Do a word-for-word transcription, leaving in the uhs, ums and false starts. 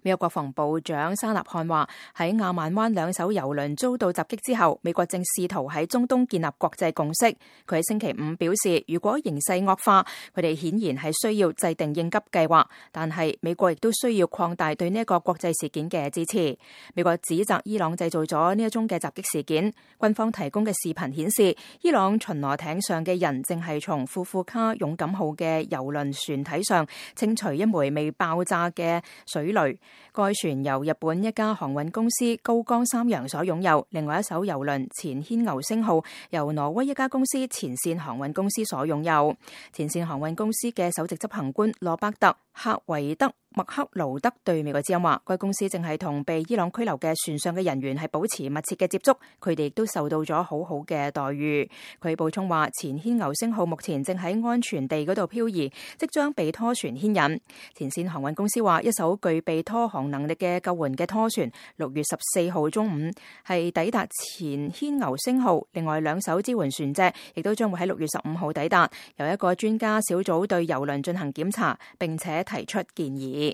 美國國防部長沙納漢話，喺亞曼灣兩艘油輪遭到襲擊之後，美國正試圖喺中東建立國際共識。佢喺星期五表示，如果形勢惡化，佢哋顯然係需要制定應急計劃，但係美國亦都需要擴大對呢一個國際事件嘅支持。美國指責伊朗製造咗呢一宗嘅襲擊事件。軍方提供嘅視頻顯示，伊朗巡邏艇上嘅人正係從庫庫卡勇敢號嘅油輪船體上清除一枚未爆炸嘅水雷。該船由日本一家航運公司高江三洋所擁有，另外一艘油輪前軒牛星號由挪威一家公司前線航運公司所擁有。前線航運公司嘅首席執行官羅伯特·克維德·麥克勞德對美國之音話，該公司正係同被伊朗拘留嘅船上嘅人員係保持密切嘅接觸，佢哋亦都受到咗好好嘅待遇。佢補充話，前軒牛星號目前正喺安全地嗰度漂移，即將被拖船牽引。前線航運公司話，一艘具備拖航能力嘅救援嘅拖船，六月十四號中午係抵達前軒牛星號，另外兩艘支援船隻亦都將會喺六月十五號抵達，由一個專家小組對油輪進行檢查，並且提出建議。